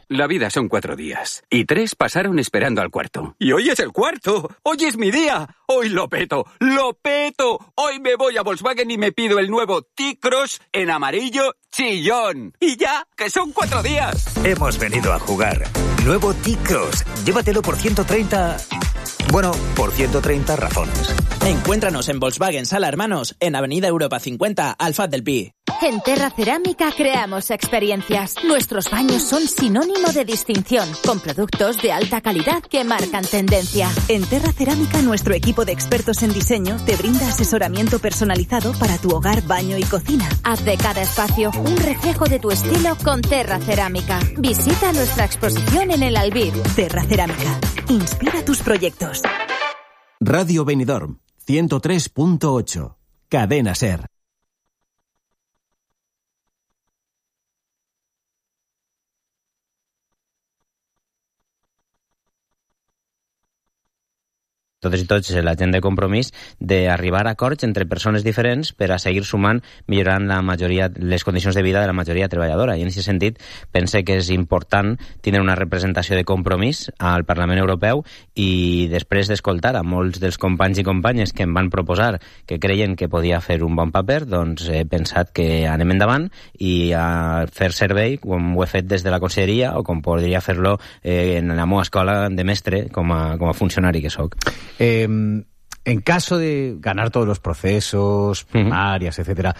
La vida son 4 días. Y 3 pasaron esperando al cuarto. Y hoy es el cuarto. Hoy es mi día. Hoy lo peto. ¡Lo peto! Hoy me voy a Volkswagen y me pido el nuevo T-Cross en amarillo chillón. Y ya, que son 4 días. Hemos venido a jugar. Nuevo T-Cross. Llévatelo por 130... Bueno, por 130 razones. Encuéntranos en Volkswagen Sala Hermanos, en Avenida Europa 50, Alfaz del Pi. En Terra Cerámica creamos experiencias. Nuestros baños son sinónimo de distinción, con productos de alta calidad que marcan tendencia. En Terra Cerámica, nuestro equipo de expertos en diseño te brinda asesoramiento personalizado para tu hogar, baño y cocina. Haz de cada espacio un reflejo de tu estilo con Terra Cerámica. Visita nuestra exposición en el Albir. Terra Cerámica. Inspira tus proyectos. Radio Benidorm, 103.8. Cadena SER. Totes i tots la gent de Compromís d'arribar a acords entre persones diferents per a seguir sumant, millorant les condicions de vida de la majoria treballadora. I en aquest sentit pense que és important tenir una representació de Compromís al Parlament Europeu i després d'escoltar a molts dels companys i companyes que em van proposar que creien que podia fer un bon paper, doncs he pensat que anem endavant i a fer servei com ho he fet des de la conselleria o com podria fer-lo en la meva escola de mestre com a funcionari que soc. En caso de ganar todos los procesos, primarias, etcétera,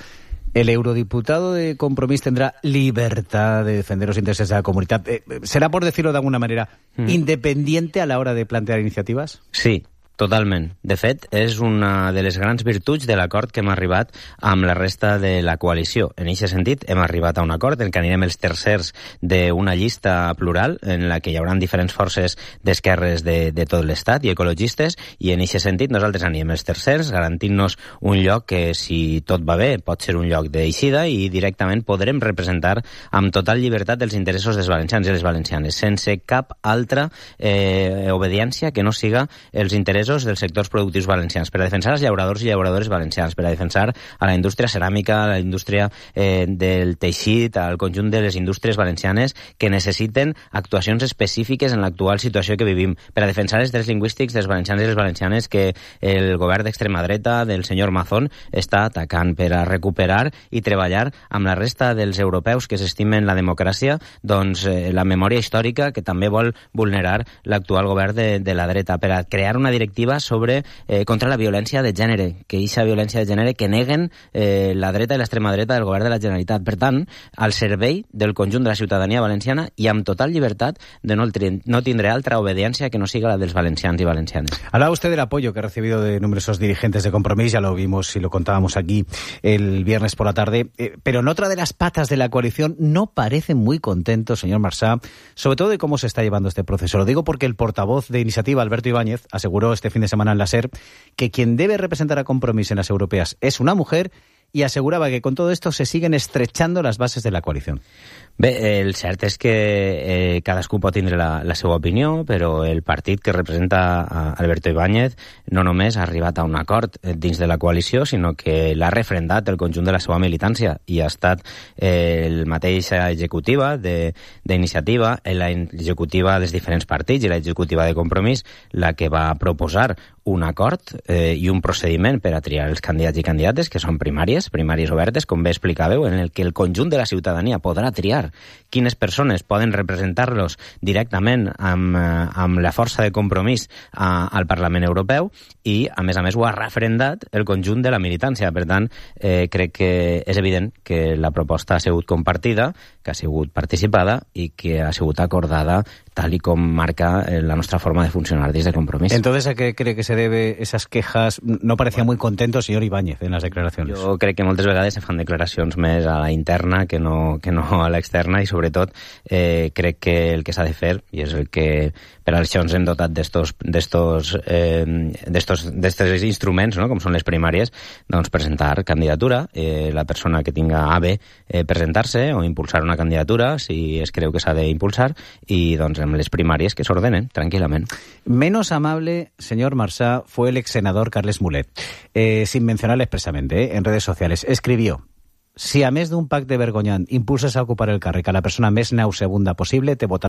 ¿el eurodiputado de Compromís tendrá libertad de defender los intereses de la comunidad? ¿Será, por decirlo de alguna manera, independiente a la hora de plantear iniciativas? Sí. Totalment. De fet, és una de les grans virtuts de l'acord que hem arribat amb la resta de la coalició. En aquest sentit, hem arribat a un acord en què anirem els tercers d'una llista plural en la que hi haurà diferents forces d'esquerres de tot l'Estat i ecologistes, i en aquest sentit nosaltres anirem els tercers garantint-nos un lloc que, si tot va bé, pot ser un lloc d'eixida i directament podrem representar amb total llibertat els interessos dels valencians i les valencianes, sense cap altra obediència que no siga els interessos dels sectors productius valencians, per a defensar els llauradors i llauradores valencians, per a defensar a la indústria ceràmica, a la indústria del teixit, al conjunt de les indústries valencianes que necessiten actuacions específiques en l'actual situació que vivim, per a defensar els drets lingüístics dels valencians i les valencianes que el govern d'extrema dreta del senyor Mazón està atacant, per a recuperar i treballar amb la resta dels europeus que s'estimen la democràcia, doncs la memòria històrica que també vol vulnerar l'actual govern de la dreta, per a crear una directiva contra la violència de gènere, que eixa violència de gènere que neguen la dreta i l'extrema dreta del govern de la Generalitat. Per tant, al servei del conjunt de la ciutadania valenciana i amb total llibertat de no tindre altra obediència que no siga la dels valencians i valencianes. Hablaba usted del apoyo que ha recibido de numerosos dirigentes de Compromís, ya lo vimos y lo contábamos aquí el viernes por la tarde, pero en otra de las patas de la coalición no parecen muy contentos, señor Marsá, sobre todo de cómo se está llevando este proceso. Lo digo porque el portavoz de Iniciativa, Alberto Ibáñez, aseguró este fin de semana en la SER que quien debe representar a Compromís en las europeas es una mujer y aseguraba que con todo esto se siguen estrechando las bases de la coalición. Bé, el cert és que cadascú pot tindre la seva opinió, però el partit que representa Alberto Ibáñez no només ha arribat a un acord dins de la coalició, sinó que l'ha refrendat el conjunt de la seva militància i ha estat el mateixa executiva d'Iniciativa, l'executiva dels diferents partits i l'executiva de Compromís la que va proposar un acord i un procediment per a triar els candidats i candidates, que són primàries obertes, com bé explicàveu, en el que el conjunt de la ciutadania podrà triar quines persones poden representar-los directament amb la força de Compromís al Parlament Europeu i, a més, ho ha refrendat el conjunt de la militància. Per tant, crec que és evident que la proposta ha sigut compartida, que ha sigut participada i que ha sigut acordada tal y como marca la nuestra forma de funcionar desde Compromís. Entonces, ¿a qué cree que se debe esas quejas? No parecía muy contento el señor Ibáñez en las declaraciones. Jo crec que moltes vegades se fan declaracions més a la interna que no a l'externa i, sobretot, crec que el que s'ha de fer, i és el que per això ens hem dotat d'estos instruments, no? Com són les primàries, doncs presentar candidatura, la persona que tinga a bé presentar-se o impulsar una candidatura, si es creu que s'ha d'impulsar, i doncs en les primàries que s'ordenen tranquil·lament. Menos amable, señor Marsá, fue el ex senador Carles Mulet, sin mencionarle expresamente, en redes sociales. Escribió: si a més d'un pacte vergonyant impulses a ocupar el càrrec a la persona més nauseabunda possible, te votarà